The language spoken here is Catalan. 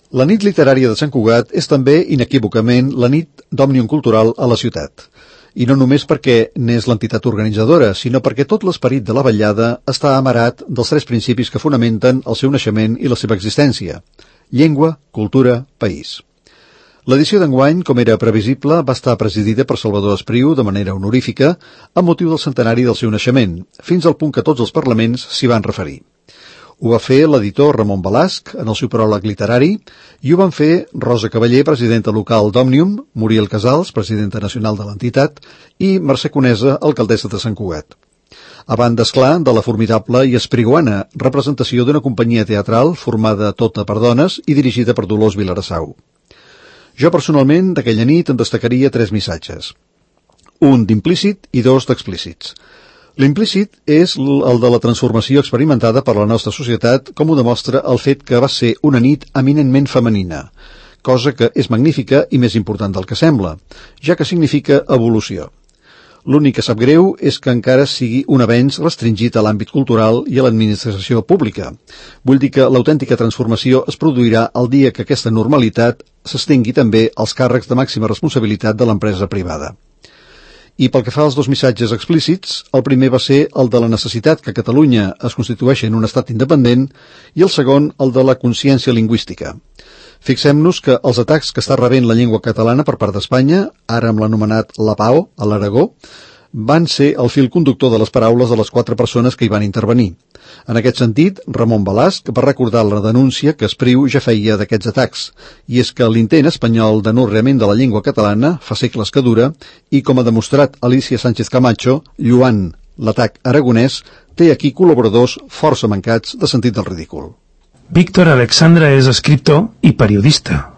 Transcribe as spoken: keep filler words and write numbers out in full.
La nit literària de Sant Cugat és també, inequívocament, la nit d'òmnium cultural a la ciutat. I no només perquè n'és l'entitat organitzadora, sinó perquè tot l'esperit de la vetllada està amarat dels tres principis que fonamenten el seu naixement i la seva existència: llengua, cultura, país. L'edició d'enguany, com era previsible, va estar presidida per Salvador Espriu de manera honorífica amb motiu del centenari del seu naixement, fins al punt que tots els parlaments s'hi van referir. Ho va fer l'editor Ramon Balasc en el seu pròleg literari i ho van fer Rosa Cavaller, presidenta local d'Òmnium, Muriel Casals, presidenta nacional de l'entitat, i Mercè Conesa, alcaldessa de Sant Cugat. A banda, esclar, de la formidable i espriguana representació d'una companyia teatral formada tota per dones i dirigida per Dolors Vilarassau. Jo personalment d'aquella nit en destacaria tres missatges. Un d'implícit i dos d'explícits. L'implícit és el de la transformació experimentada per la nostra societat, com ho demostra el fet que va ser una nit eminentment femenina, cosa que és magnífica i més important del que sembla, ja que significa evolució. L'únic que sap greu és que encara sigui un avenç restringit a l'àmbit cultural i a l'administració pública. Vull dir que l'autèntica transformació es produirà el dia que aquesta normalitat s'estengui també als càrrecs de màxima responsabilitat de l'empresa privada. I pel que fa als dos missatges explícits, el primer va ser el de la necessitat que Catalunya es constitueixi en un estat independent i el segon el de la consciència lingüística. Fixem-nos que els atacs que està rebent la llengua catalana per part d'Espanya, ara amb l'anomenat Lapao, a l'Aragó, van ser el fil conductor de les paraules de les quatre persones que hi van intervenir. En aquest sentit, Ramon Balasc va recordar la denúncia que Espriu ja feia d'aquests atacs, i és que l'intent espanyol d'anorreament de la llengua catalana fa segles que dura i, com ha demostrat Alicia Sánchez Camacho, lluant l'atac aragonès, té aquí col·laboradors força mancats de sentit del ridícul. Víctor Alexandra és escriptor i periodista.